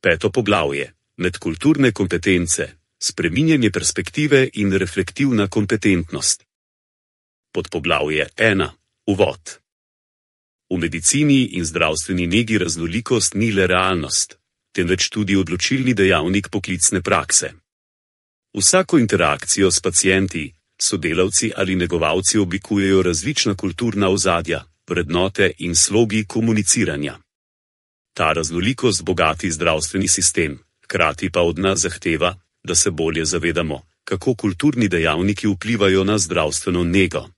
5. poglavje. Medkulturne kompetence, spreminjanje perspektive in reflektivna kompetentnost. Podpoglavje 1. Uvod. V medicini in zdravstveni negi raznolikost ni le realnost, temveč tudi odločilni dejavnik poklicne prakse. Vsako interakcijo s pacienti, sodelavci ali negovalci oblikujejo različna kulturna ozadja, vrednote in slogi komuniciranja. Ta raznolikost bogati zdravstveni sistem, hkrati pa od nas zahteva, da se bolje zavedamo, kako kulturni dejavniki vplivajo na zdravstveno nego.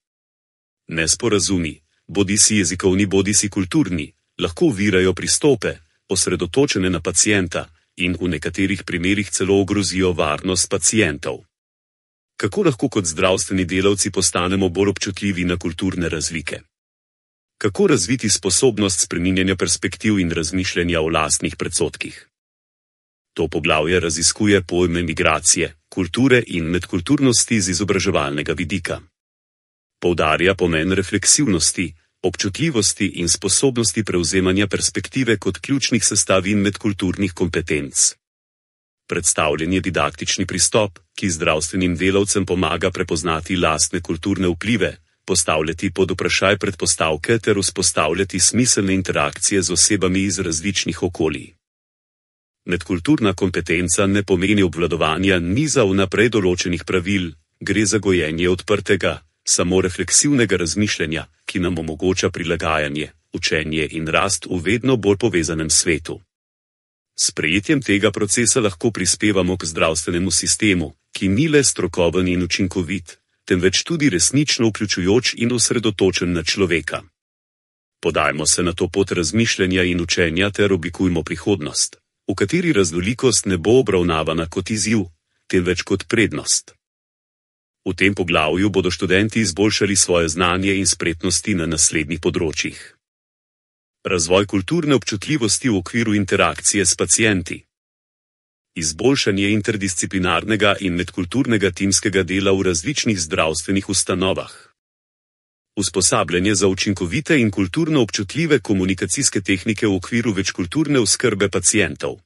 Nesporazumi, bodisi jezikovni bodisi kulturni, lahko ovirajo pristope, osredotočene na pacienta, in v nekaterih primerih celo ogrozijo varnost pacientov. Kako lahko kot zdravstveni delavci postanemo bolj občutljivi na kulturne razlike? Kako razviti sposobnost spreminjanja perspektiv in razmišljanja o lastnih predsodkih? To poglavje raziskuje pojme migracije, kulture in medkulturnosti z izobraževalnega vidika. Poudarja pomen refleksivnosti, občutljivosti in sposobnosti prevzemanja perspektive kot ključnih sestavin medkulturnih kompetenc. Predstavljen je didaktični pristop, ki zdravstvenim delavcem pomaga prepoznati lastne kulturne vplive, postavljati pod vprašaj predpostavke ter vzpostavljati smiselne interakcije z osebami iz različnih okolij. Medkulturna kompetenca ne pomeni obvladovanja niza vnaprej določenih pravil, gre za gojenje odprtega, samorefleksivnega razmišljanja, ki nam omogoča prilagajanje, učenje in rast v vedno bolj povezanem svetu. S sprejetjem tega procesa lahko prispevamo k zdravstvenemu sistemu, ki ni le strokoven in učinkovit, temveč tudi resnično vključujoč in osredotočen na človeka. Podajmo se na to pot razmišljanja in učenja ter oblikujmo prihodnost, v kateri raznolikost ne bo obravnavana kot izziv, temveč kot prednost. V tem poglavju bodo študenti izboljšali svoje znanje in spretnosti na naslednjih področjih. Razvoj kulturne občutljivosti v okviru interakcije s pacienti. Izboljšanje interdisciplinarnega in medkulturnega timskega dela v različnih zdravstvenih ustanovah. Usposabljanje za učinkovite in kulturno občutljive komunikacijske tehnike v okviru večkulturne oskrbe pacientov.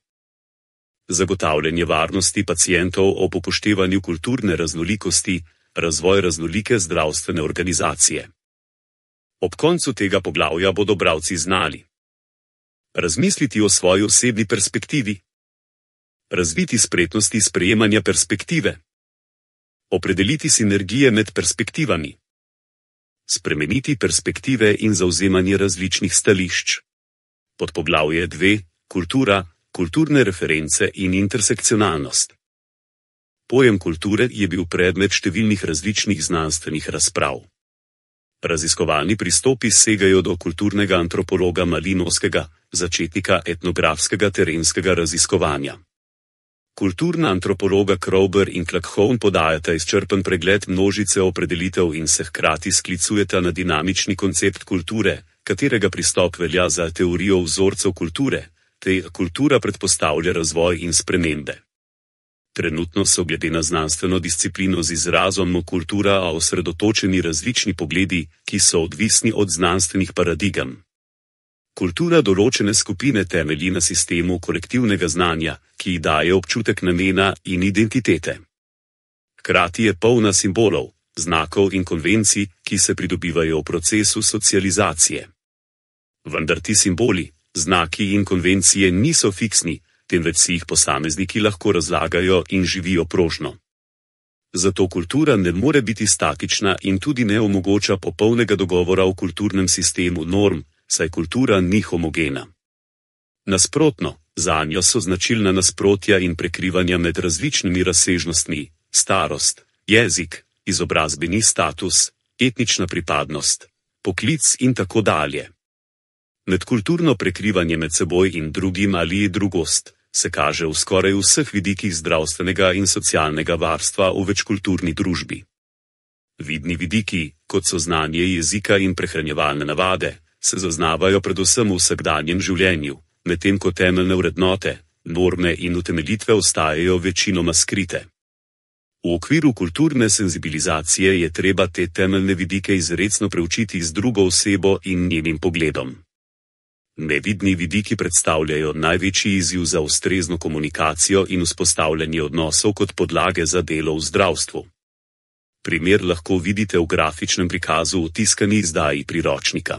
Zagotavljanje varnosti pacientov ob upoštevanju kulturne raznolikosti, razvoj raznolike zdravstvene organizacije. Ob koncu tega poglavja bodo bralci znali razmisliti o svoji osebni perspektivi, razviti spretnosti sprejemanja perspektive, opredeliti sinergije med perspektivami, spremeniti perspektive in zavzemanje različnih stališč. Podpoglavje 2. Kultura, kulturne reference in intersekcionalnost. Pojem kulture je bil predmet številnih različnih znanstvenih razprav. Raziskovalni pristopi segajo do kulturnega antropologa Malinovskega, začetnika etnografskega terenskega raziskovanja. Kulturna antropologa Kroeber in Klakhove podajata izčrpen pregled množice opredelitev in se hkrati sklicujeta na dinamični koncept kulture, katerega pristop velja za teorijo vzorcev kulture, te kultura predpostavlja razvoj in spremembe. Trenutno so glede na znanstveno disciplino z izrazom kultura osredotočeni različni pogledi, ki so odvisni od znanstvenih paradigem. Kultura določene skupine temelji na sistemu kolektivnega znanja, ki ji daje občutek namena in identitete. Hkrati je polna simbolov, znakov in konvencij, ki se pridobivajo v procesu socializacije. Vendar ti simboli, znaki in konvencije niso fiksni, temveč si jih posamezniki lahko razlagajo in živijo prožno. Zato kultura ne more biti statična in tudi ne omogoča popolnega dogovora o kulturnem sistemu norm, saj kultura ni homogena. Nasprotno, zanjo so značilna nasprotja in prekrivanja med različnimi razsežnostmi, starost, jezik, izobrazbeni status, etnična pripadnost, poklic in tako dalje. Medkulturno prekrivanje med seboj in drugim ali drugost se kaže v skoraj vseh vidikih zdravstvenega in socialnega varstva v večkulturni družbi. Vidni vidiki, kot so znanje jezika in prehranjevalne navade, se zaznavajo predvsem v vsakdanjem življenju, medtem ko temeljne vrednote, norme in utemeljitve ostajajo večinoma skrite. V okviru kulturne senzibilizacije je treba te temeljne vidike izrecno preučiti z drugo osebo in njenim pogledom. Nevidni vidiki predstavljajo največji izziv za ustrezno komunikacijo in vzpostavljanje odnosov kot podlage za delo v zdravstvu. Primer lahko vidite v grafičnem prikazu v tiskani izdaji priročnika.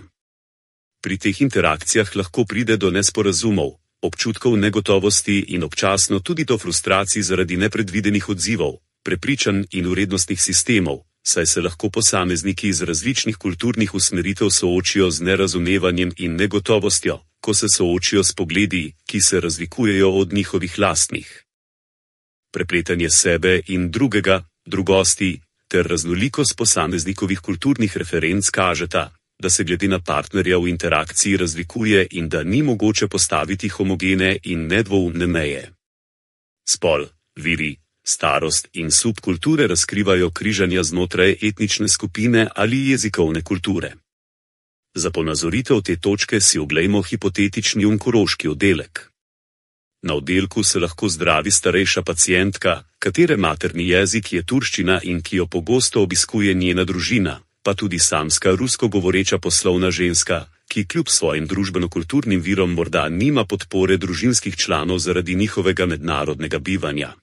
Pri teh interakcijah lahko pride do nesporazumov, občutkov negotovosti in občasno tudi do frustracij zaradi nepredvidenih odzivov, prepričanj in vrednostnih sistemov, saj se lahko posamezniki iz različnih kulturnih usmeritev soočijo z nerazumevanjem in negotovostjo, ko se soočijo s pogledi, ki se razlikujejo od njihovih lastnih. Prepletanje sebe in drugega, drugosti, ter raznolikost posameznikovih kulturnih referenc kažeta, da se glede na partnerja v interakciji razlikuje in da ni mogoče postaviti homogene in nedvoumne meje. Spol, viri, starost in subkulture razkrivajo križanja znotraj etnične skupine ali jezikovne kulture. Za ponazoritev te točke si oglejmo hipotetični onkološki oddelek. Na oddelku se lahko zdravi starejša pacientka, katere materni jezik je turščina in ki jo pogosto obiskuje njena družina, pa tudi samska rusko govoreča poslovna ženska, ki kljub svojim družbeno-kulturnim virom morda nima podpore družinskih članov zaradi njihovega mednarodnega bivanja.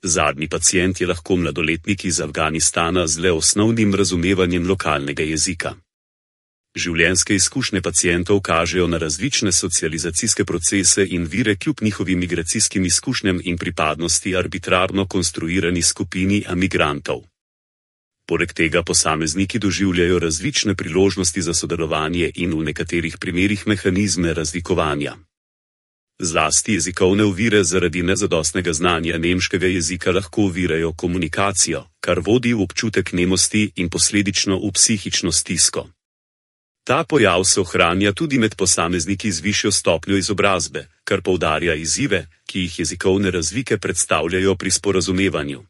Zadnji pacient je lahko mladoletnik iz Afganistana z le osnovnim razumevanjem lokalnega jezika. Življenjske izkušnje pacientov kažejo na različne socializacijske procese in vire kljub njihovim migracijskim izkušnjam in pripadnosti arbitrarno konstruirani skupini migrantov. Poleg tega posamezniki doživljajo različne priložnosti za sodelovanje in v nekaterih primerih mehanizme razlikovanja. Zlasti jezikovne ovire zaradi nezadostnega znanja nemškega jezika lahko ovirajo komunikacijo, kar vodi v občutek nemosti in posledično v psihično stisko. Ta pojav se ohranja tudi med posamezniki z višjo stopnjo izobrazbe, kar poudarja izzive, ki jih jezikovne razlike predstavljajo pri sporazumevanju.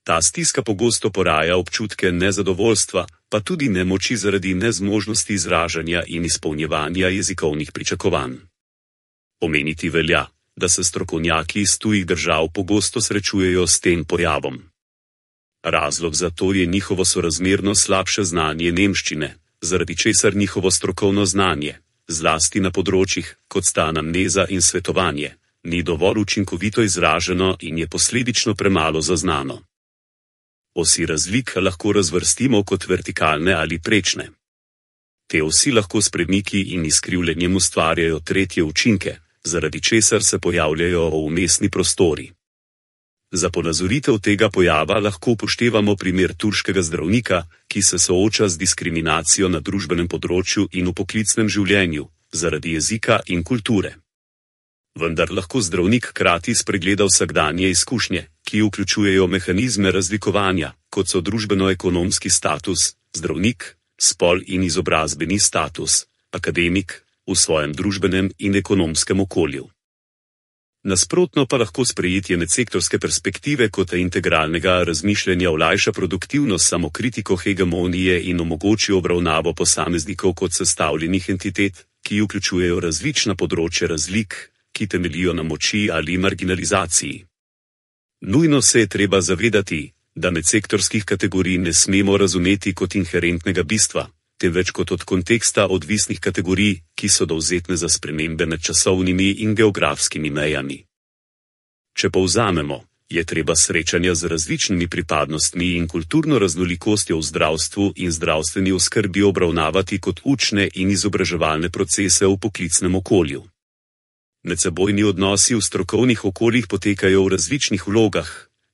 Ta stiska pogosto poraja občutke nezadovoljstva, pa tudi nemoči zaradi nezmožnosti izražanja in izpolnjevanja jezikovnih pričakovanj. Omeniti velja, da se strokovnjaki iz tujih držav pogosto srečujejo s tem pojavom. Razlog za to je njihovo sorazmerno slabše znanje nemščine, zaradi česar njihovo strokovno znanje, zlasti na področjih, kot sta anamneza in svetovanje, ni dovolj učinkovito izraženo in je posledično premalo zaznano. Osi razlik lahko razvrstimo kot vertikalne ali prečne. Te osi lahko s premiki in izkrivljenjem ustvarjajo tretje učinke, zaradi česar se pojavljajo vmesni prostori. Za ponazoritev tega pojava lahko upoštevamo primer turškega zdravnika, ki se sooča z diskriminacijo na družbenem področju in v poklicnem življenju, zaradi jezika in kulture. Vendar lahko zdravnik hkrati spregleda vsakdanje izkušnje, ki vključujejo mehanizme razlikovanja, kot so družbeno-ekonomski status, zdravnik, spol in izobrazbeni status, akademik, v svojem družbenem in ekonomskem okolju. Nasprotno pa lahko sprejetje medsektorske perspektive kot integralnega razmišljanja olajša produktivnost samokritiko hegemonije in omogoči obravnavo posameznikov kot sestavljenih entitet, ki vključujejo različna področja razlik, ki temeljijo na moči ali marginalizaciji. Nujno se je treba zavedati, da medsektorskih kategorij ne smemo razumeti kot inherentnega bistva, temveč kot od konteksta odvisnih kategorij, ki so dovzetne za spremembe med časovnimi in geografskimi mejami. Če povzamemo, je treba srečanja z različnimi pripadnostmi in kulturno raznolikostjo v zdravstvu in zdravstveni oskrbi obravnavati kot učne in izobraževalne procese v poklicnem okolju. Medsebojni odnosi v strokovnih okoljih potekajo v različnih vlogah,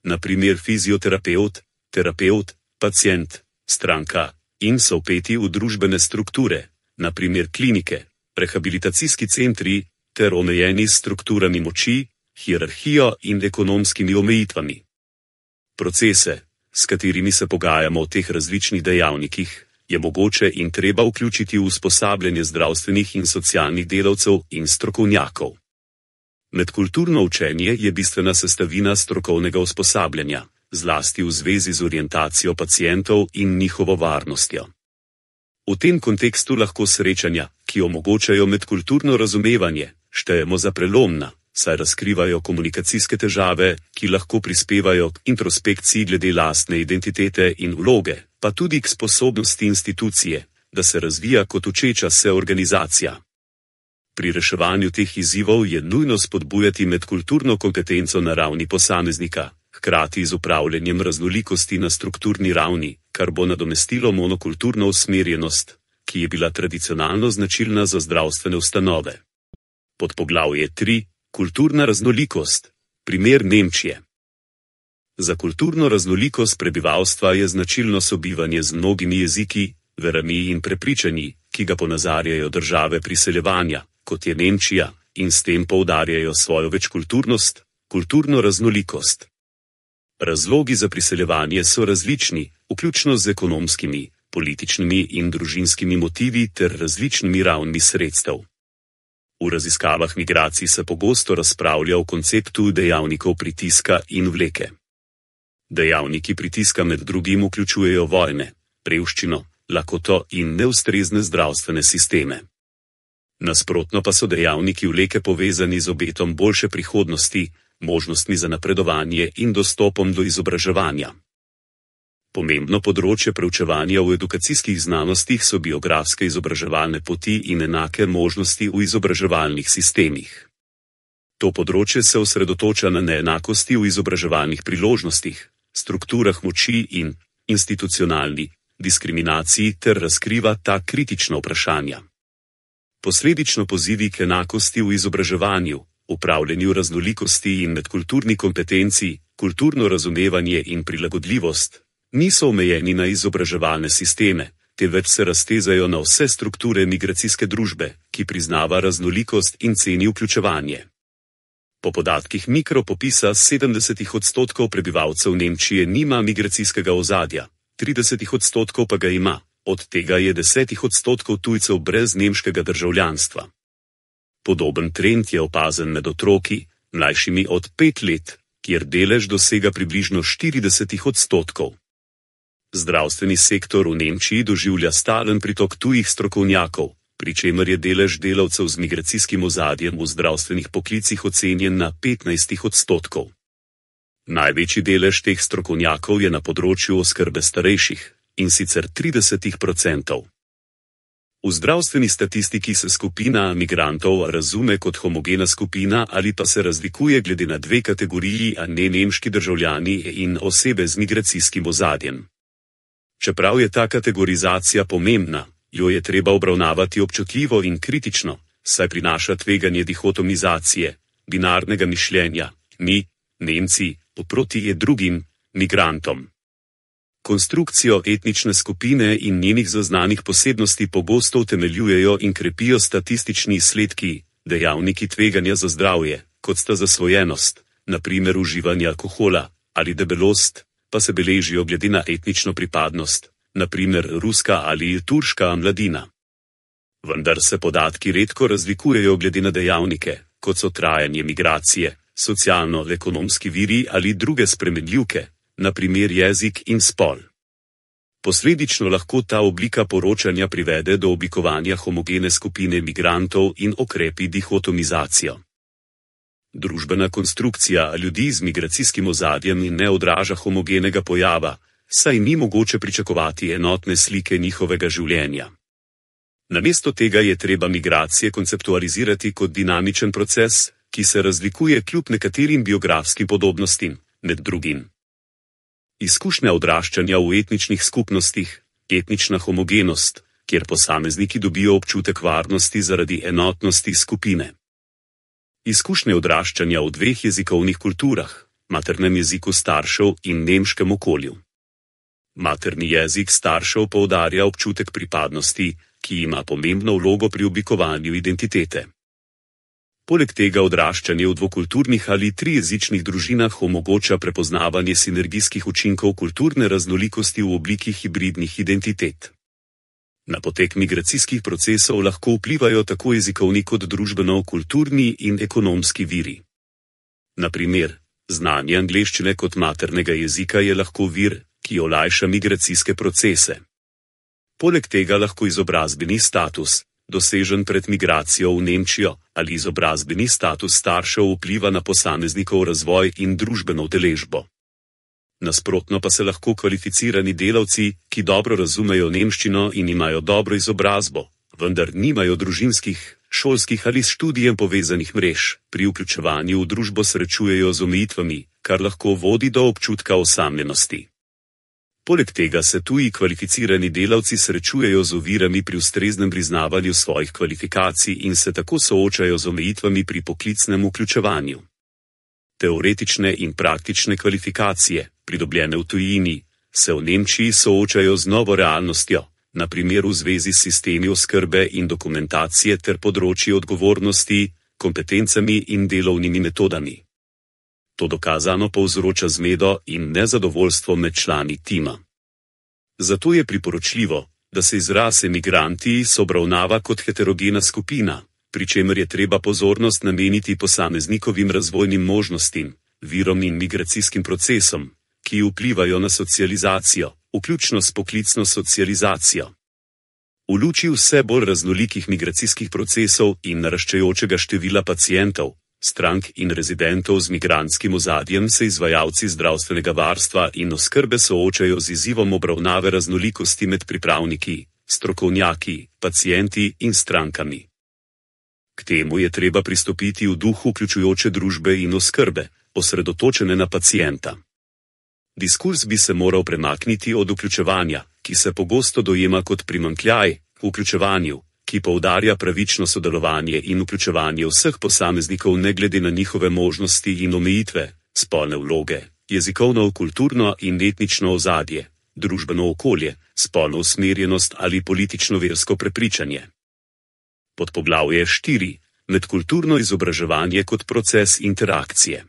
na primer fizioterapevt, terapevt, pacient, stranka, in so vpeti v družbene strukture, na primer klinike, rehabilitacijski centri, ter omejeni s strukturami moči, hierarhijo in ekonomskimi omejitvami. Procese, s katerimi se pogajamo o teh različnih dejavnikih, je mogoče in treba vključiti v usposabljanje zdravstvenih in socialnih delavcev in strokovnjakov. Medkulturno učenje je bistvena sestavina strokovnega usposabljanja, zlasti v zvezi z orientacijo pacientov in njihovo varnostjo. V tem kontekstu lahko srečanja, ki omogočajo medkulturno razumevanje, štejemo za prelomna, saj razkrivajo komunikacijske težave, ki lahko prispevajo k introspekciji glede lastne identitete in vloge, pa tudi k sposobnosti institucije, da se razvija kot učeča se organizacija. Pri reševanju teh izzivov je nujno spodbujati medkulturno kompetenco na ravni posameznika, hkrati z upravljanjem raznolikosti na strukturni ravni, kar bo nadomestilo monokulturno usmerjenost, ki je bila tradicionalno značilna za zdravstvene ustanove. Podpoglavje 3. Kulturna raznolikost. Primer Nemčije. Za kulturno raznolikost prebivalstva je značilno sobivanje z mnogimi jeziki, verami in prepričanji, ki ga ponazarjajo države priseljevanja, kot je Nemčija, in s tem poudarjajo svojo večkulturnost, kulturno raznolikost. Razlogi za priseljevanje so različni, vključno z ekonomskimi, političnimi in družinskimi motivi ter različnimi ravnmi sredstev. V raziskavah migracij se pogosto razpravlja o konceptu dejavnikov pritiska in vleke. Dejavniki pritiska med drugim vključujejo vojne, revščino, lakoto in neustrezne zdravstvene sisteme. Nasprotno pa so dejavniki vleke povezani z obetom boljše prihodnosti, možnostmi za napredovanje in dostopom do izobraževanja. Pomembno področje preučevanja v edukacijskih znanostih so biografske izobraževalne poti in enake možnosti v izobraževalnih sistemih. To področje se osredotoča na neenakosti v izobraževalnih priložnostih, strukturah moči in institucionalni diskriminaciji ter razkriva ta kritična vprašanja. Posledično pozivi k enakosti v izobraževanju, upravljanju raznolikosti in medkulturni kompetenci, kulturno razumevanje in prilagodljivost, niso omejeni na izobraževalne sisteme, temveč se raztezajo na vse strukture migracijske družbe, ki priznava raznolikost in ceni vključevanje. Po podatkih Mikropopisa 70% prebivalcev Nemčije nima migracijskega ozadja, 30% pa ga ima, od tega je 10% tujcev brez nemškega državljanstva. Podoben trend je opazen med otroki, mlajšimi od 5 let, kjer delež dosega približno 40%. Zdravstveni sektor v Nemčiji doživlja stalen pritok tujih strokovnjakov, pri čemer je delež delavcev z migracijskim ozadjem v zdravstvenih poklicih ocenjen na 15%. Največji delež teh strokovnjakov je na področju oskrbe starejših, in sicer 30%. V zdravstveni statistiki se skupina migrantov razume kot homogena skupina ali pa se razlikuje glede na dve kategoriji, a ne nemški državljani in osebe z migracijskim ozadjem. Čeprav je ta kategorizacija pomembna, jo je treba obravnavati občutljivo in kritično, saj prinaša tveganje dihotomizacije, binarnega mišljenja, mi, Nemci, oproti drugim, migrantom. Konstrukcijo etnične skupine in njenih zaznanih posebnosti pogosto utemeljujejo in krepijo statistični izsledki, dejavniki tveganja za zdravje, kot sta zasvojenost, na primer uživanje alkohola, ali debelost, pa se beležijo glede na etnično pripadnost, na primer ruska ali turška mladina. Vendar se podatki redko razlikujejo glede na dejavnike, kot so trajanje migracije, socialno-ekonomski viri ali druge spremenljivke, na primer jezik in spol. Posledično lahko ta oblika poročanja privede do oblikovanja homogene skupine migrantov in okrepi dihotomizacijo. Družbena konstrukcija ljudi z migracijskim ozadjem ne odraža homogenega pojava, saj ni mogoče pričakovati enotne slike njihovega življenja. Namesto tega je treba migracije konceptualizirati kot dinamičen proces, ki se razlikuje kljub nekaterim biografskim podobnostim, med drugim. Izkušnja odraščanja v etničnih skupnostih, etnična homogenost, kjer posamezniki dobijo občutek varnosti zaradi enotnosti skupine. Izkušnje odraščanja v dveh jezikovnih kulturah, maternem jeziku staršev in nemškem okolju. Materni jezik staršev poudarja občutek pripadnosti, ki ima pomembno vlogo pri oblikovanju identitete. Poleg tega odraščanje v dvokulturnih ali trijezičnih družinah omogoča prepoznavanje sinergijskih učinkov kulturne raznolikosti v obliki hibridnih identitet. Na potek migracijskih procesov lahko vplivajo tako jezikovni kot družbeno-kulturni in ekonomski viri. Na primer, znanje angleščine kot maternega jezika je lahko vir, ki olajša migracijske procese. Poleg tega lahko izobrazbeni status, dosežen pred migracijo v Nemčijo, ali izobrazbeni status staršev vpliva na posameznikov razvoj in družbeno udeležbo. Nasprotno pa se lahko kvalificirani delavci, ki dobro razumejo nemščino in imajo dobro izobrazbo, vendar nimajo družinskih, šolskih ali s študijem povezanih mrež, pri vključevanju v družbo srečujejo z omejitvami, kar lahko vodi do občutka osamljenosti. Poleg tega se tuji kvalificirani delavci srečujejo z ovirami pri ustreznem priznavanju svojih kvalifikacij in se tako soočajo z omejitvami pri poklicnem vključevanju. Teoretične in praktične kvalifikacije, pridobljene v tujini, se v Nemčiji soočajo z novo realnostjo, na primer v zvezi s sistemi oskrbe in dokumentacije ter področji odgovornosti, kompetencami in delovnimi metodami. To dokazano povzroča zmedo in nezadovoljstvo med člani tima. Zato je priporočljivo, da se izraz emigranti obravnava kot heterogena skupina, pri čemer je treba pozornost nameniti posameznikovim razvojnim možnostim, virom in migracijskim procesom, ki vplivajo na socializacijo, vključno s poklicno socializacijo. V luči vse bolj raznolikih migracijskih procesov in naraščajočega števila pacientov, strank in rezidentov z migrantskim ozadjem se izvajalci zdravstvenega varstva in oskrbe soočajo z izzivom obravnave raznolikosti med pripravniki, strokovnjaki, pacienti in strankami. K temu je treba pristopiti v duhu vključujoče družbe in oskrbe, osredotočene na pacienta. Diskurz bi se moral premakniti od vključevanja, ki se pogosto dojema kot primanjkljaj, k vključevanju, ki poudarja pravično sodelovanje in vključevanje vseh posameznikov ne glede na njihove možnosti in omejitve, spolne vloge, jezikovno, kulturno in etnično ozadje, družbeno okolje, spolno usmerjenost ali politično-versko prepričanje. Podpoglavje 4. Medkulturno izobraževanje kot proces interakcije.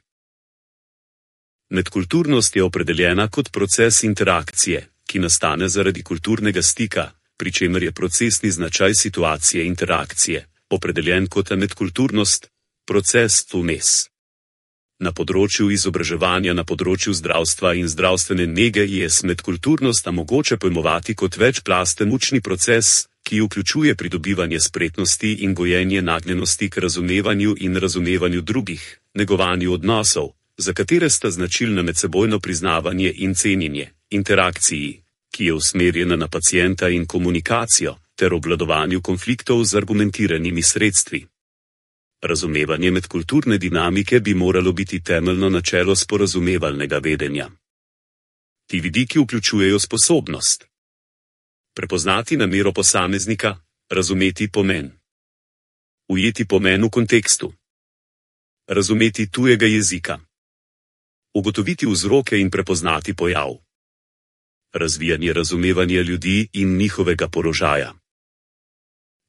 Medkulturnost je opredeljena kot proces interakcije, ki nastane zaradi kulturnega stika, pri čemer je procesni značaj situacije interakcije, opredeljen kot medkulturnost, proces vmes. Na področju izobraževanja na področju zdravstva in zdravstvene nege je medkulturnost mogoče pojmovati kot večplasten učni proces, ki vključuje pridobivanje spretnosti in gojenje nagnjenosti k razumevanju in razumevanju drugih, negovanju odnosov, za katere sta značilna medsebojno priznavanje in cenjenje, interakciji, ki je usmerjena na pacienta in komunikacijo, ter obvladovanju konfliktov z argumentiranimi sredstvi. Razumevanje medkulturne dinamike bi moralo biti temeljno načelo sporazumevalnega vedenja. Ti vidiki vključujejo sposobnost prepoznati namero posameznika, razumeti pomen, ujeti pomen v kontekstu, razumeti tujega jezika, ugotoviti vzroke in prepoznati pojav, razvijanje razumevanja ljudi in njihovega položaja.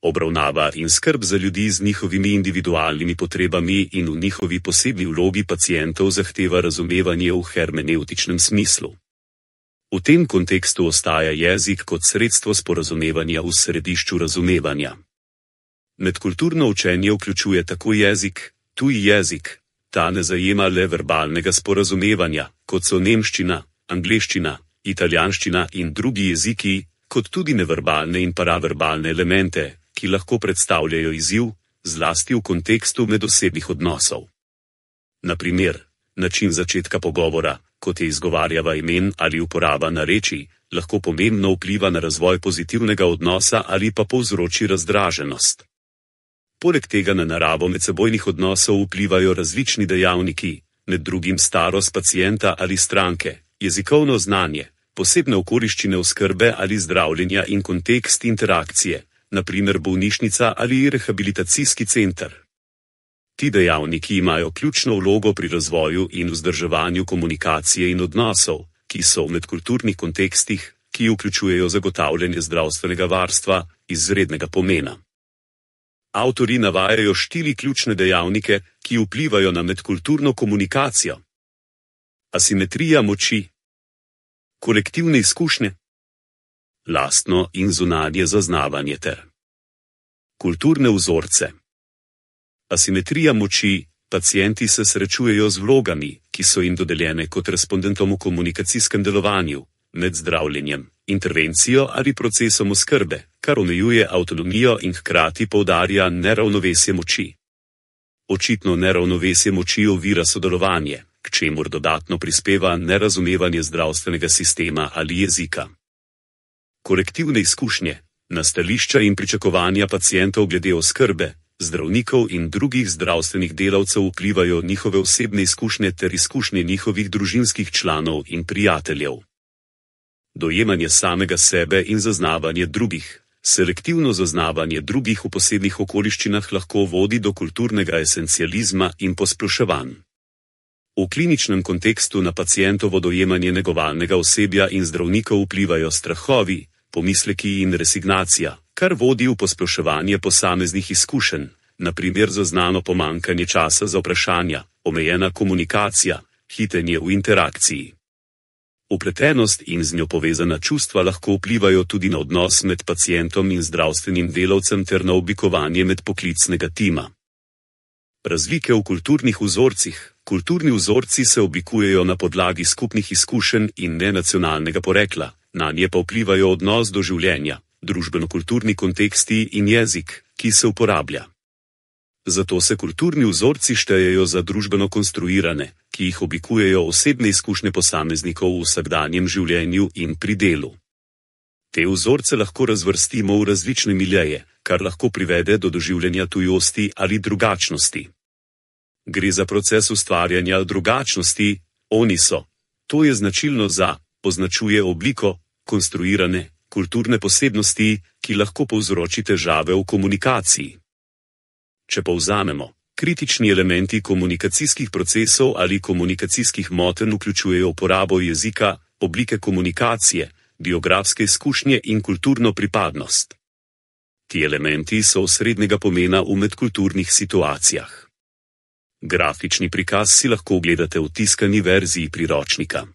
Obravnava in skrb za ljudi z njihovimi individualnimi potrebami in v njihovi posebni vlogi pacientov zahteva razumevanje v hermeneutičnem smislu. V tem kontekstu ostaja jezik kot sredstvo sporazumevanja v središču razumevanja. Medkulturno učenje vključuje tako jezik, tuji jezik, ta ne zajema le verbalnega sporazumevanja, kot so nemščina, angleščina, italijanščina in drugi jeziki, kot tudi neverbalne in paraverbalne elemente, ki lahko predstavljajo izziv, zlasti v kontekstu medosebnih odnosov. Na primer, način začetka pogovora, kot je izgovarjava imen ali uporaba narečij, lahko pomembno vpliva na razvoj pozitivnega odnosa ali pa povzroči razdraženost. Poleg tega na naravo medsebojnih odnosov vplivajo različni dejavniki, med drugim starost pacienta ali stranke, jezikovno znanje, posebne okoliščine oskrbe ali zdravljenja in kontekst interakcije, na primer bolnišnica ali rehabilitacijski center. Ti dejavniki imajo ključno vlogo pri razvoju in vzdrževanju komunikacije in odnosov, ki so v medkulturnih kontekstih, ki vključujejo zagotavljanje zdravstvenega varstva, izrednega pomena. Avtorji navajajo 4 ključne dejavnike, ki vplivajo na medkulturno komunikacijo. Asimetrija moči, kolektivne izkušnje, lastno in zunanje zaznavanje ter kulturne vzorce. Asimetrija moči, pacienti se srečujejo z vlogami, ki so jim dodeljene kot respondentom v komunikacijskem delovanju, med zdravljenjem, intervencijo ali procesom oskrbe, kar omejuje avtonomijo in hkrati poudarja neravnovesje moči. Očitno neravnovesje moči ovira sodelovanje, k čemur dodatno prispeva nerazumevanje zdravstvenega sistema ali jezika. Kolektivne izkušnje, na stališča in pričakovanja pacientov glede oskrbe, zdravnikov in drugih zdravstvenih delavcev vplivajo njihove osebne izkušnje ter izkušnje njihovih družinskih članov in prijateljev. Dojemanje samega sebe in zaznavanje drugih, selektivno zaznavanje drugih v posebnih okoliščinah lahko vodi do kulturnega esencializma in posploševanj. V kliničnem kontekstu na pacientovo dojemanje negovalnega osebja in zdravnikov vplivajo strahovi, pomisleki in resignacija, kar vodi v posploševanje posameznih izkušenj, na primer zaznano pomanjkanje časa za vprašanja, omejena komunikacija, hitenje v interakciji. Vpletenost in z njo povezana čustva lahko vplivajo tudi na odnos med pacientom in zdravstvenim delavcem ter na oblikovanje medpoklicnega tima. Razlike v kulturnih vzorcih. Kulturni vzorci se oblikujejo na podlagi skupnih izkušenj in ne nacionalnega porekla, nanje pa vplivajo odnos do življenja, družbeno-kulturni konteksti in jezik, ki se uporablja. Zato se kulturni vzorci štejejo za družbeno konstruirane, ki jih oblikujejo osebne izkušnje posameznikov v vsakdanjem življenju in pri delu. Te vzorce lahko razvrstimo v različne miljeje, kar lahko privede do doživljanja tujosti ali drugačnosti. Gre za proces ustvarjanja drugačnosti, oni so. To je značilno za, označuje obliko, konstruirane, kulturne posebnosti, ki lahko povzroči težave v komunikaciji. Če povzamemo, kritični elementi komunikacijskih procesov ali komunikacijskih motenj vključujejo uporabo jezika, oblike komunikacije, biografske izkušnje in kulturno pripadnost. Ti elementi so osrednjega pomena v medkulturnih situacijah. Grafični prikaz si lahko ogledate v tiskani verziji priročnika.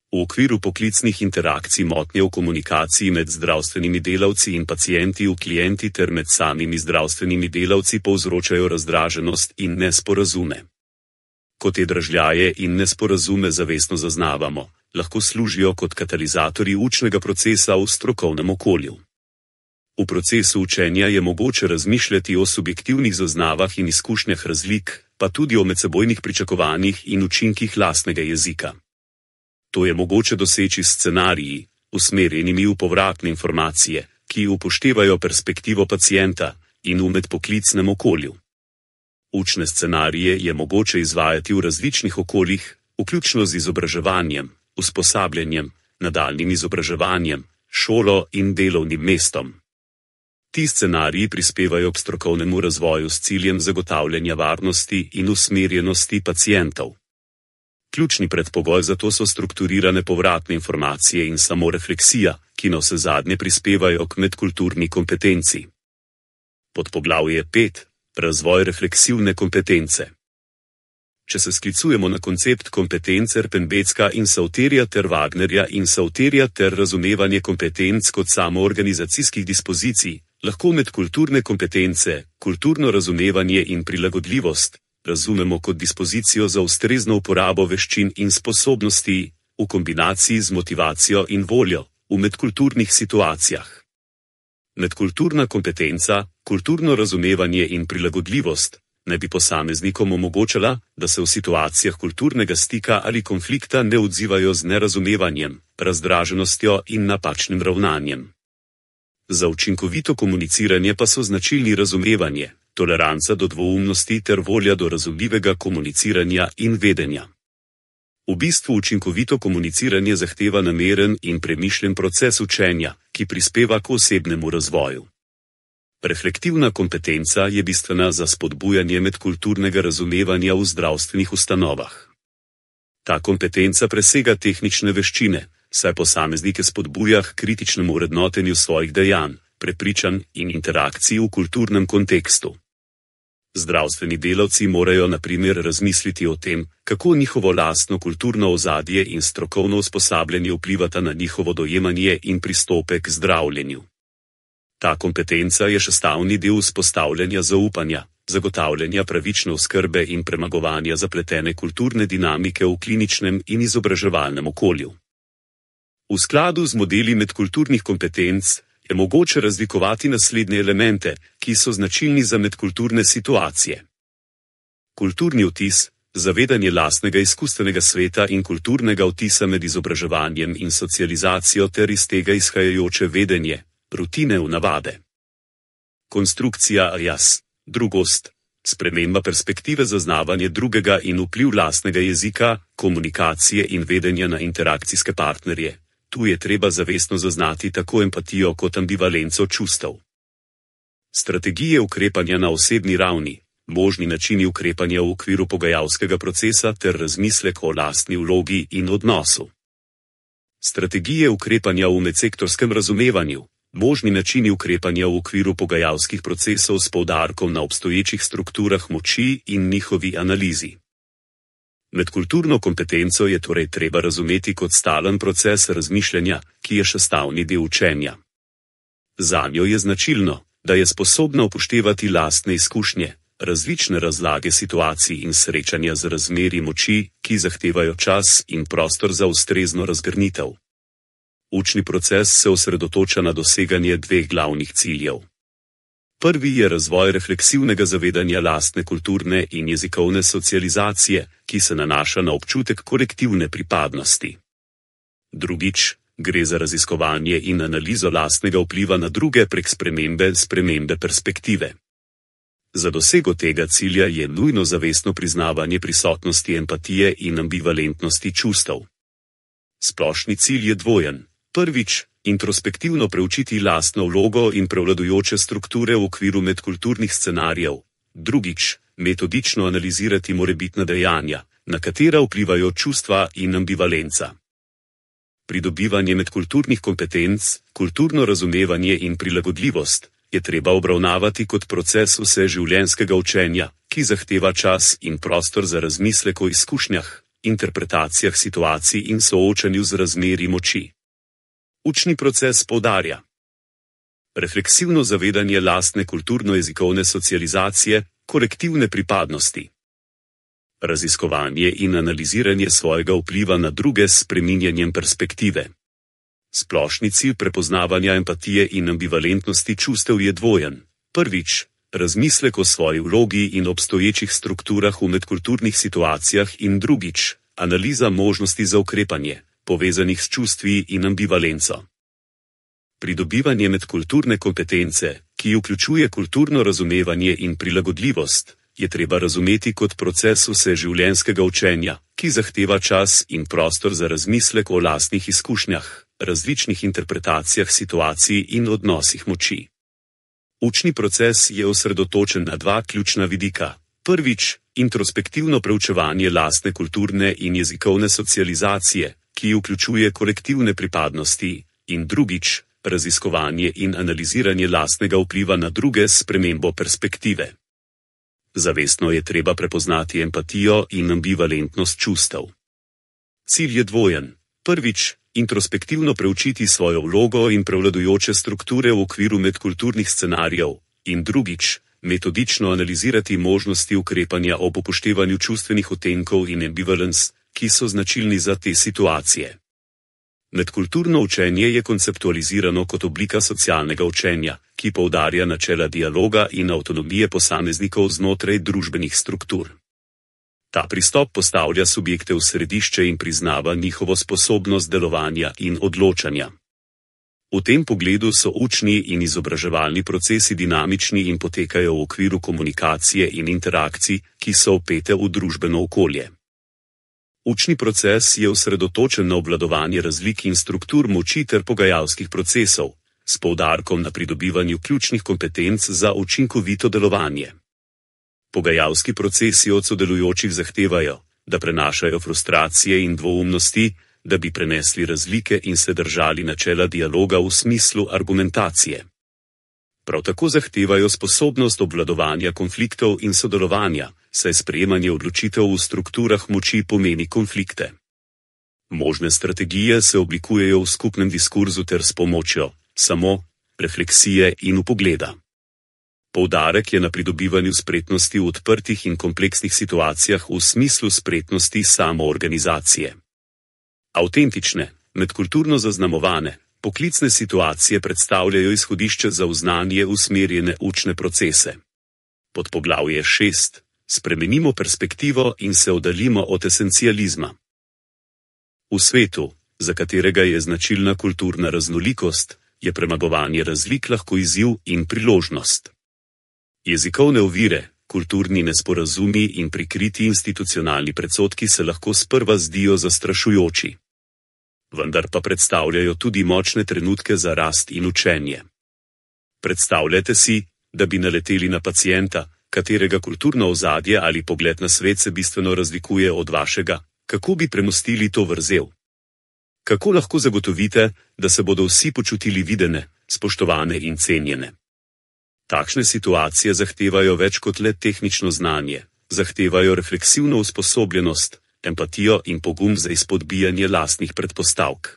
V okviru poklicnih interakcij motnje v komunikaciji med zdravstvenimi delavci in pacienti v klienti ter med samimi zdravstvenimi delavci povzročajo razdraženost in nesporazume. Ko te dražljaje in nesporazume zavestno zaznavamo, lahko služijo kot katalizatorji učnega procesa v strokovnem okolju. V procesu učenja je mogoče razmišljati o subjektivnih zaznavah in izkušnjah razlik, pa tudi o medsebojnih pričakovanjih in učinkih lastnega jezika. To je mogoče doseči s scenariji, usmerjenimi v povratne informacije, ki upoštevajo perspektivo pacienta in v medpoklicnem okolju. Učne scenarije je mogoče izvajati v različnih okoljih, vključno z izobraževanjem, usposabljanjem, nadaljnjim izobraževanjem, šolo in delovnim mestom. Ti scenariji prispevajo k strokovnemu razvoju s ciljem zagotavljanja varnosti in usmerjenosti pacientov. Ključni predpogoj za to so strukturirane povratne informacije in samorefleksija, ki navsezadnje prispevajo k medkulturni kompetenci. Podpoglavje 5. Razvoj refleksivne kompetence. Če se sklicujemo na koncept kompetenc Erpenbecka in Sauterja ter Wagnerja in Sauterja ter razumevanje kompetenc kot samoorganizacijskih dispozicij, lahko medkulturne kompetence, kulturno razumevanje in prilagodljivost razumemo kot dispozicijo za ustrezno uporabo veščin in sposobnosti, v kombinaciji z motivacijo in voljo, v medkulturnih situacijah. Medkulturna kompetenca, kulturno razumevanje in prilagodljivost naj bi posameznikom omogočala, da se v situacijah kulturnega stika ali konflikta ne odzivajo z nerazumevanjem, razdraženostjo in napačnim ravnanjem. Za učinkovito komuniciranje pa so značilni razumevanje, toleranca do dvoumnosti ter volja do razumljivega komuniciranja in vedenja. V bistvu učinkovito komuniciranje zahteva nameren in premišljen proces učenja, ki prispeva k osebnemu razvoju. Reflektivna kompetenca je bistvena za spodbujanje medkulturnega razumevanja v zdravstvenih ustanovah. Ta kompetenca presega tehnične veščine, saj posameznike spodbuja k kritičnemu vrednotenju svojih dejanj, prepričanj in interakcij v kulturnem kontekstu. Zdravstveni delavci morajo na primer razmisliti o tem, kako njihovo lastno kulturno ozadje in strokovno usposabljanje vplivata na njihovo dojemanje in pristope k zdravljenju. Ta kompetenca je sestavni del vzpostavljanja zaupanja, zagotavljanja pravične oskrbe in premagovanja zapletene kulturne dinamike v kliničnem in izobraževalnem okolju. V skladu z modeli medkulturnih kompetenc je mogoče razlikovati naslednje elemente, ki so značilni za medkulturne situacije. Kulturni vtis, zavedanje lastnega izkustvenega sveta in kulturnega vtisa med izobraževanjem in socializacijo ter iz tega izhajajoče vedenje, rutine v navade. Konstrukcija jaz, drugost, sprememba perspektive zaznavanje drugega in vpliv lastnega jezika, komunikacije in vedenja na interakcijske partnerje. Tu je treba zavestno zaznati tako empatijo kot ambivalenco čustev. Strategije ukrepanja na osebni ravni, možni načini ukrepanja v okviru pogajalskega procesa ter razmislek o lastni vlogi in odnosu. Strategije ukrepanja v medsektorskem razumevanju, možni načini ukrepanja v okviru pogajalskih procesov s poudarkom na obstoječih strukturah moči in njihovi analizi. Medkulturno kompetenco je torej treba razumeti kot stalen proces razmišljanja, ki je sestavni del učenja. Zanjo je značilno, da je sposobna upoštevati lastne izkušnje, različne razlage situacij in srečanja z razmerji moči, ki zahtevajo čas in prostor za ustrezno razgrnitev. Učni proces se osredotoča na doseganje dveh glavnih ciljev. Prvi je razvoj refleksivnega zavedanja lastne kulturne in jezikovne socializacije, ki se nanaša na občutek kolektivne pripadnosti. Drugič, gre za raziskovanje in analizo lastnega vpliva na druge prek spremembe perspektive. Za dosego tega cilja je nujno zavestno priznavanje prisotnosti empatije in ambivalentnosti čustev. Splošni cilj je dvojen. Prvič, introspektivno preučiti lastno vlogo in prevladujoče strukture v okviru medkulturnih scenarijev. Drugič, metodično analizirati morebitna dejanja, na katera vplivajo čustva in ambivalenca. Pridobivanje medkulturnih kompetenc, kulturno razumevanje in prilagodljivost je treba obravnavati kot proces vseživljenjskega učenja, ki zahteva čas in prostor za razmislek o izkušnjah, interpretacijah situacij in soočanju z razmerji moči. Učni proces poudarja refleksivno zavedanje lastne kulturno-jezikovne socializacije, kolektivne pripadnosti, raziskovanje in analiziranje svojega vpliva na druge s spreminjanjem perspektive. Splošni cilj prepoznavanja empatije in ambivalentnosti čustev je dvojen. Prvič, razmislek o svoji vlogi in obstoječih strukturah v medkulturnih situacijah in drugič, analiza možnosti za ukrepanje, povezanih s čustvi in ambivalenco. Pridobivanje medkulturne kompetence, ki vključuje kulturno razumevanje in prilagodljivost, je treba razumeti kot proces vseživljenjskega učenja, ki zahteva čas in prostor za razmislek o lastnih izkušnjah, različnih interpretacijah situacij in odnosih moči. Učni proces je osredotočen na dva ključna vidika. Prvič, introspektivno preučevanje lastne kulturne in jezikovne socializacije, ki vključuje kolektivne pripadnosti, in drugič, raziskovanje in analiziranje lastnega vpliva na druge s spremembo perspektive. Zavestno je treba prepoznati empatijo in ambivalentnost čustev. Cilj je dvojen. Prvič, introspektivno preučiti svojo vlogo in prevladujoče strukture v okviru medkulturnih scenarijev, in drugič, metodično analizirati možnosti ukrepanja ob upoštevanju čustvenih odtenkov in ambivalence, ki so značilni za te situacije. Medkulturno učenje je konceptualizirano kot oblika socialnega učenja, ki poudarja načela dialoga in avtonomije posameznikov znotraj družbenih struktur. Ta pristop postavlja subjekte v središče in priznava njihovo sposobnost delovanja in odločanja. V tem pogledu so učni in izobraževalni procesi dinamični in potekajo v okviru komunikacije in interakcij, ki so vpete v družbeno okolje. Učni proces je osredotočen na obvladovanje razlik in struktur moči ter pogajalskih procesov, s poudarkom na pridobivanju ključnih kompetenc za učinkovito delovanje. Pogajalski procesi od sodelujočih zahtevajo, da prenašajo frustracije in dvoumnosti, da bi prenesli razlike in se držali načela dialoga v smislu argumentacije. Prav tako zahtevajo sposobnost obvladovanja konfliktov in sodelovanja, saj sprejemanje odločitev v strukturah moči pomeni konflikte. Možne strategije se oblikujejo v skupnem diskurzu ter s pomočjo refleksije in vpogleda. Poudarek je na pridobivanju spretnosti v odprtih in kompleksnih situacijah v smislu spretnosti samoorganizacije. Avtentične, medkulturno zaznamovane, poklicne situacije predstavljajo izhodišče za v znanje usmerjene učne procese. Podpoglavje 6. Spremenimo perspektivo in se oddaljimo od esencializma. V svetu, za katerega je značilna kulturna raznolikost, je premagovanje razlik lahko izziv in priložnost. Jezikovne ovire, kulturni nesporazumi in prikriti institucionalni predsodki se lahko sprva zdijo zastrašujoči. Vendar pa predstavljajo tudi močne trenutke za rast in učenje. Predstavljajte si, da bi naleteli na pacienta, katerega kulturno ozadje ali pogled na svet se bistveno razlikuje od vašega, kako bi premostili to vrzel? Kako lahko zagotovite, da se bodo vsi počutili videne, spoštovane in cenjene? Takšne situacije zahtevajo več kot le tehnično znanje, zahtevajo refleksivno usposobljenost, empatijo in pogum za izpodbijanje lastnih predpostavk.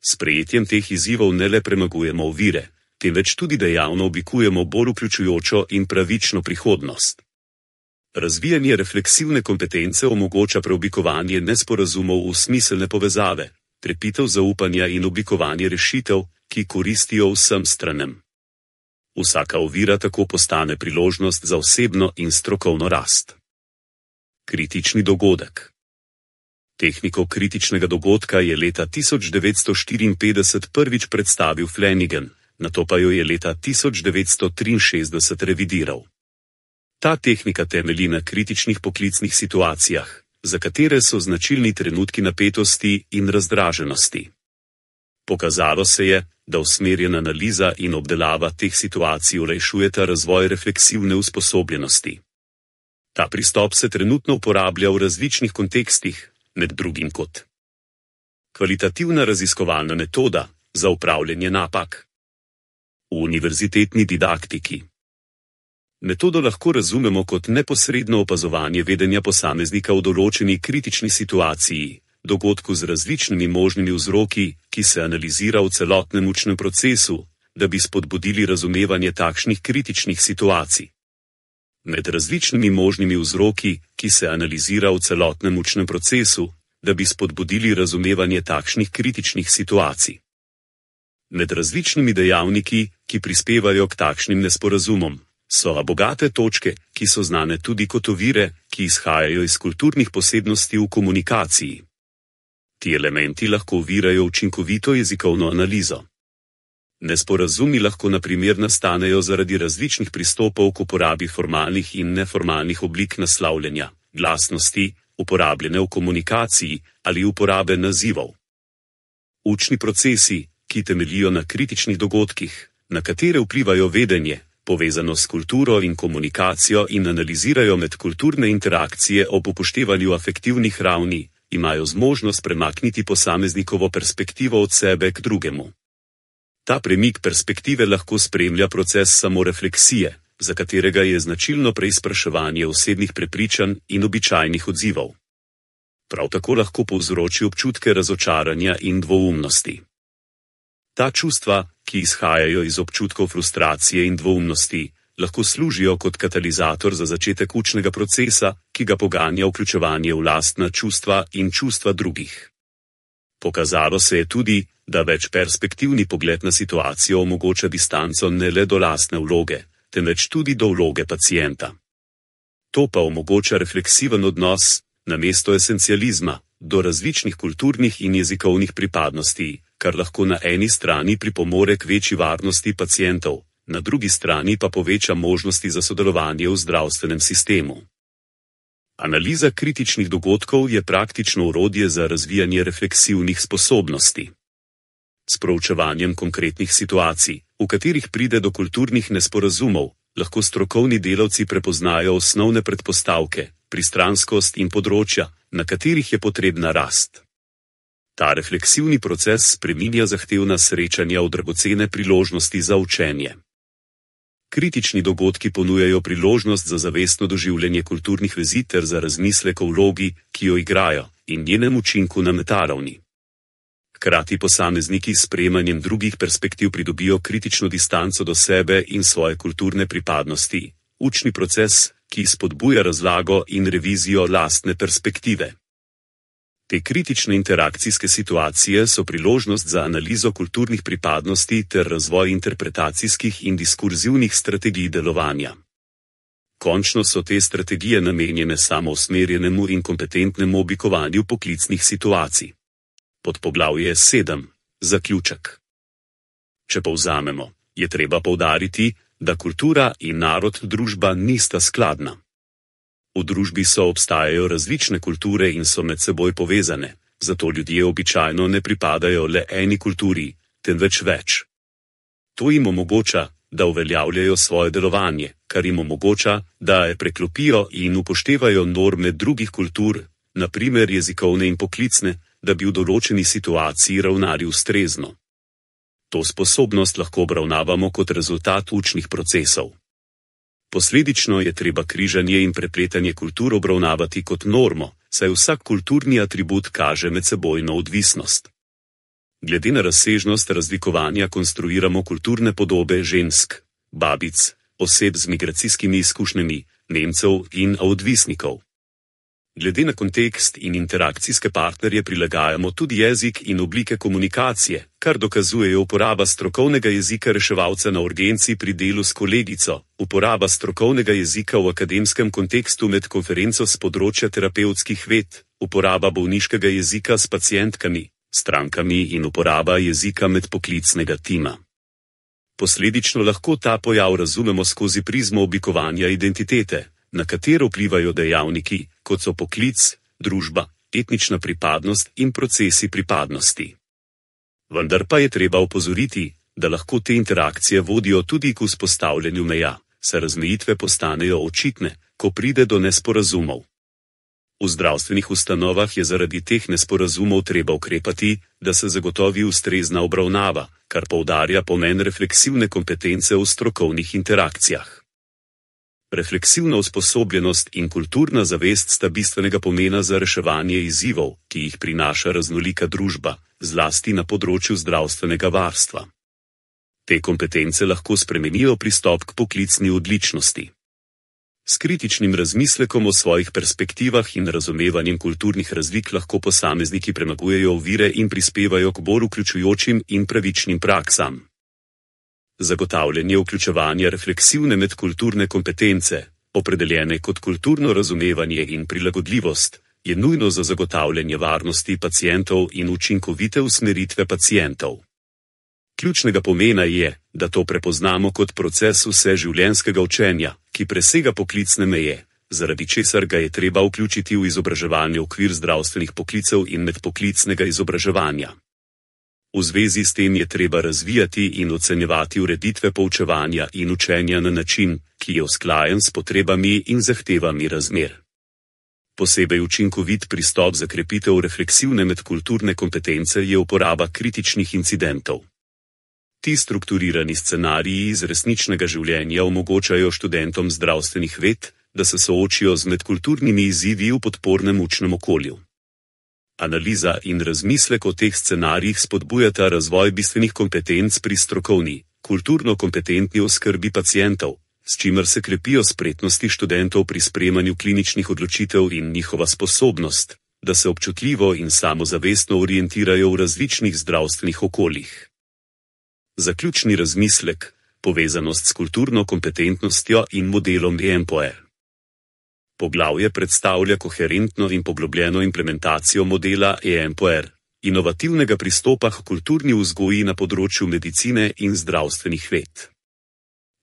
S sprejetjem teh izzivov ne le premagujemo ovire, temveč tudi dejavno oblikujemo bolj vključujočo in pravično prihodnost. Razvijanje refleksivne kompetence omogoča preoblikovanje nesporazumov v smiselne povezave, krepitev zaupanja in oblikovanje rešitev, ki koristijo vsem stranem. Vsaka ovira tako postane priložnost za osebno in strokovno rast. Kritični dogodek. Tehniko kritičnega dogodka je leta 1954 prvič predstavil Flanagan, nato pa jo je leta 1963 revidiral. Ta tehnika temelji na kritičnih poklicnih situacijah, za katere so značilni trenutki napetosti in razdraženosti. Pokazalo se je, da usmerjena analiza in obdelava teh situacij olajšujeta razvoj refleksivne usposobljenosti. Ta pristop se trenutno uporablja v različnih kontekstih, med drugim kot kvalitativna raziskovalna metoda za upravljanje napak. V univerzitetni didaktiki. Metodo lahko razumemo kot neposredno opazovanje vedenja posameznika v določeni kritični situaciji, dogodku z različnimi možnimi vzroki, ki se analizira v celotnem učnem procesu, da bi spodbudili razumevanje takšnih kritičnih situacij. Med različnimi možnimi vzroki, ki se analizira v celotnem učnem procesu, da bi spodbudili razumevanje takšnih kritičnih situacij. Med različnimi dejavniki, ki prispevajo k takšnim nesporazumom, so bogate točke, ki so znane tudi kot ovire, ki izhajajo iz kulturnih posebnosti v komunikaciji. Ti elementi lahko ovirajo učinkovito jezikovno analizo. Nesporazumi lahko na primer nastanejo zaradi različnih pristopov k uporabi formalnih in neformalnih oblik naslavljanja, glasnosti, uporabljene v komunikaciji ali uporabe nazivov. Učni procesi, ki temeljijo na kritičnih dogodkih, na katere vplivajo vedenje, povezano s kulturo in komunikacijo in analizirajo medkulturne interakcije ob upoštevanju afektivnih ravni, imajo zmožnost premakniti posameznikovo perspektivo od sebe k drugemu. Ta premik perspektive lahko spremlja proces samorefleksije, za katerega je značilno preizpraševanje osebnih prepričanj in običajnih odzivov. Prav tako lahko povzroči občutke razočaranja in dvoumnosti. Ta čustva, ki izhajajo iz občutkov frustracije in dvoumnosti, lahko služijo kot katalizator za začetek učnega procesa, ki ga poganja vključevanje v lastna čustva in čustva drugih. Pokazalo se je tudi, da večperspektivni pogled na situacijo omogoča distanco ne le do lastne vloge, temveč tudi do vloge pacienta. To pa omogoča refleksiven odnos, namesto esencializma, do različnih kulturnih in jezikovnih pripadnosti, kar lahko na eni strani pripomore k večji varnosti pacientov, na drugi strani pa poveča možnosti za sodelovanje v zdravstvenem sistemu. Analiza kritičnih dogodkov je praktično orodje za razvijanje refleksivnih sposobnosti. S proučevanjem konkretnih situacij, v katerih pride do kulturnih nesporazumov, lahko strokovni delavci prepoznajo osnovne predpostavke, pristranskost in področja, na katerih je potrebna rast. Ta refleksivni proces spreminja zahtevna srečanja v dragocene priložnosti za učenje. Kritični dogodki ponujajo priložnost za zavestno doživljanje kulturnih vezi ter za razmislek o vlogi, ki jo igrajo, in njenem učinku na metaravni. Hkrati posamezniki s sprejemanjem drugih perspektiv pridobijo kritično distanco do sebe in svoje kulturne pripadnosti, učni proces, ki spodbuja razlago in revizijo lastne perspektive. Te kritične interakcijske situacije so priložnost za analizo kulturnih pripadnosti ter razvoj interpretacijskih in diskurzivnih strategij delovanja. Končno so te strategije namenjene samousmerjenemu in kompetentnemu oblikovanju poklicnih situacij. Podpoglavje 7. Zaključek. Če povzamemo, je treba poudariti, da kultura in narod družba nista skladna. V družbi obstajajo različne kulture in so med seboj povezane, zato ljudje običajno ne pripadajo le eni kulturi, temveč več. To jim omogoča, da uveljavljajo svoje delovanje, kar jim omogoča, da preklopijo in upoštevajo norme drugih kultur, na primer jezikovne in poklicne, da bi v določeni situaciji ravnali ustrezno. To sposobnost lahko obravnavamo kot rezultat učnih procesov. Posledično je treba križanje in prepletanje kultur obravnavati kot normo, saj vsak kulturni atribut kaže medsebojno odvisnost. Glede na razsežnost razlikovanja konstruiramo kulturne podobe žensk, babic, oseb z migracijskimi izkušnjami, Nemcev in odvisnikov. Glede na kontekst in interakcijske partnerje prilagajamo tudi jezik in oblike komunikacije, kar dokazujejo uporaba strokovnega jezika reševalca na urgenci pri delu s kolegico, uporaba strokovnega jezika v akademskem kontekstu med konferenco s področja terapevtskih ved, uporaba bolniškega jezika s pacientkami, strankami in uporaba jezika med poklicnega tima. Posledično lahko ta pojav razumemo skozi prizmo oblikovanja identitete, na katero vplivajo dejavniki, kot so poklic, družba, etnična pripadnost in procesi pripadnosti. Vendar pa je treba opozoriti, da lahko te interakcije vodijo tudi k vzpostavljanju meja, saj razmejitve postanejo očitne, ko pride do nesporazumov. V zdravstvenih ustanovah je zaradi teh nesporazumov treba ukrepati, da se zagotovi ustrezna obravnava, kar poudarja pomen refleksivne kompetence v strokovnih interakcijah. Refleksivna usposobljenost in kulturna zavest sta bistvenega pomena za reševanje izzivov, ki jih prinaša raznolika družba, zlasti na področju zdravstvenega varstva. Te kompetence lahko spremenijo pristop k poklicni odličnosti. S kritičnim razmislekom o svojih perspektivah in razumevanjem kulturnih razlik lahko posamezniki premagujejo ovire in prispevajo k bolj vključujočim in pravičnim praksam. Zagotavljanje vključevanja refleksivne medkulturne kompetence, opredeljene kot kulturno razumevanje in prilagodljivost, je nujno za zagotavljanje varnosti pacientov in učinkovite usmeritve pacientov. Ključnega pomena je, da to prepoznamo kot proces vseživljenjskega učenja, ki presega poklicne meje, zaradi česar ga je treba vključiti v izobraževalni okvir zdravstvenih poklicev in medpoklicnega izobraževanja. V zvezi s tem je treba razvijati in ocenjevati ureditve poučevanja in učenja na način, ki je usklajen s potrebami in zahtevami razmer. Posebej učinkovit pristop za krepitev refleksivne medkulturne kompetence je uporaba kritičnih incidentov. Ti strukturirani scenariji iz resničnega življenja omogočajo študentom zdravstvenih ved, da se soočijo z medkulturnimi izzivi v podpornem učnem okolju. Analiza in razmislek o teh scenarijih spodbujata razvoj bistvenih kompetenc pri strokovni, kulturno kompetentni oskrbi pacientov, s čimer se krepijo spretnosti študentov pri sprejemanju kliničnih odločitev in njihova sposobnost, da se občutljivo in samozavestno orientirajo v različnih zdravstvenih okoljih. Zaključni razmislek, povezanost s kulturno kompetentnostjo in modelom EMPOE. Poglavje predstavlja koherentno in poglobljeno implementacijo modela EMPOE, inovativnega pristopa k kulturni vzgoji na področju medicine in zdravstvenih ved.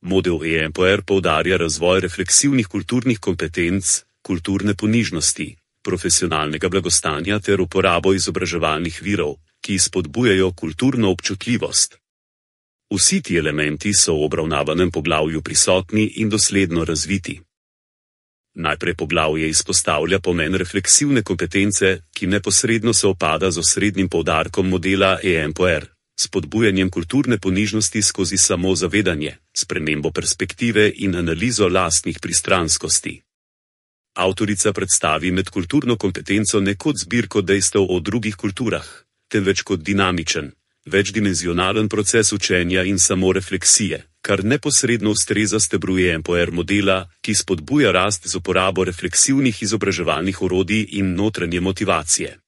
Model EMPOE poudarja razvoj refleksivnih kulturnih kompetenc, kulturne ponižnosti, profesionalnega blagostanja ter uporabo izobraževalnih virov, ki spodbujajo kulturno občutljivost. Vsi ti elementi so v obravnavanem poglavju prisotni in dosledno razviti. Najprej poglavje izpostavlja pomen refleksivne kompetence, ki neposredno se opada z osrednjim poudarkom modela EMPOE, spodbujanjem kulturne ponižnosti skozi samozavedanje, spremembo perspektive in analizo lastnih pristranskosti. Avtorica predstavi medkulturno kompetenco ne kot zbirko dejstev o drugih kulturah, temveč kot dinamičen, večdimenzionalen proces učenja in samorefleksije, kar neposredno ustreza stebru EMPOE modela, ki spodbuja rast z uporabo refleksivnih izobraževalnih orodij in notranje motivacije.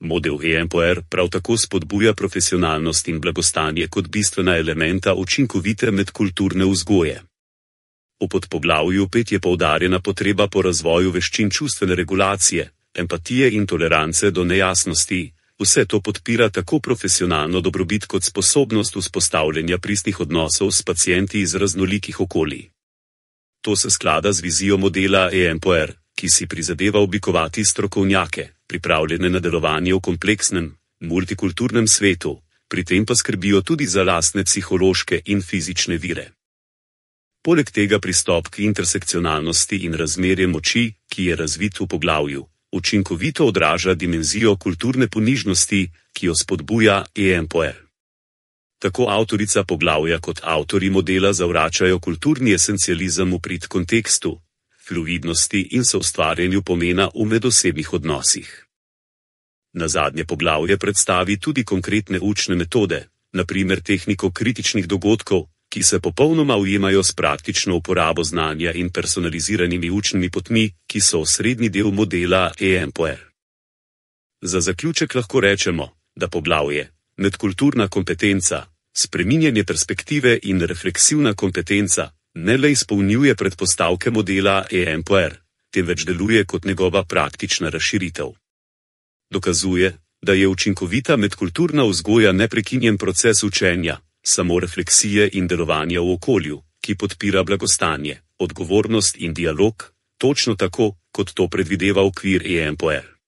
Model EMPOE prav tako spodbuja profesionalnost in blagostanje kot bistvena elementa učinkovite medkulturne vzgoje. V podpoglavju 5 je poudarjena potreba po razvoju veščin čustvene regulacije, empatije in tolerance do nejasnosti, Vse to podpira tako profesionalno dobrobit kot sposobnost vzpostavljanja pristnih odnosov s pacienti iz raznolikih okolij. To se sklada z vizijo modela EMPOR, ki si prizadeva oblikovati strokovnjake, pripravljene na delovanje v kompleksnem, multikulturnem svetu, pri tem pa skrbijo tudi za lastne psihološke in fizične vire. Poleg tega pristop k intersekcionalnosti in razmerje moči, ki je razvit v poglavju, učinkovito odraža dimenzijo kulturne ponižnosti, ki jo spodbuja EMPOR. Tako avtorica poglavja kot avtori modela zavračajo kulturni esencializem v prid kontekstu, fluidnosti in soustvarjanju pomena v medosebnih odnosih. Nazadnje poglavje predstavi tudi konkretne učne metode, na primer tehniko kritičnih dogodkov, ki se popolnoma ujemajo s praktično uporabo znanja in personaliziranimi učnimi potmi, ki so osrednji del modela EMPOR. Za zaključek lahko rečemo, da poglavje medkulturna kompetenca, spreminjanje perspektive in refleksivna kompetenca ne le izpolnjuje predpostavke modela EMPOR, temveč deluje kot njegova praktična razširitev. Dokazuje, da je učinkovita medkulturna vzgoja neprekinjen proces učenja, samorefleksije in delovanja v okolju, ki podpira blagostanje, odgovornost in dialog, točno tako, kot to predvideva okvir EMPOR.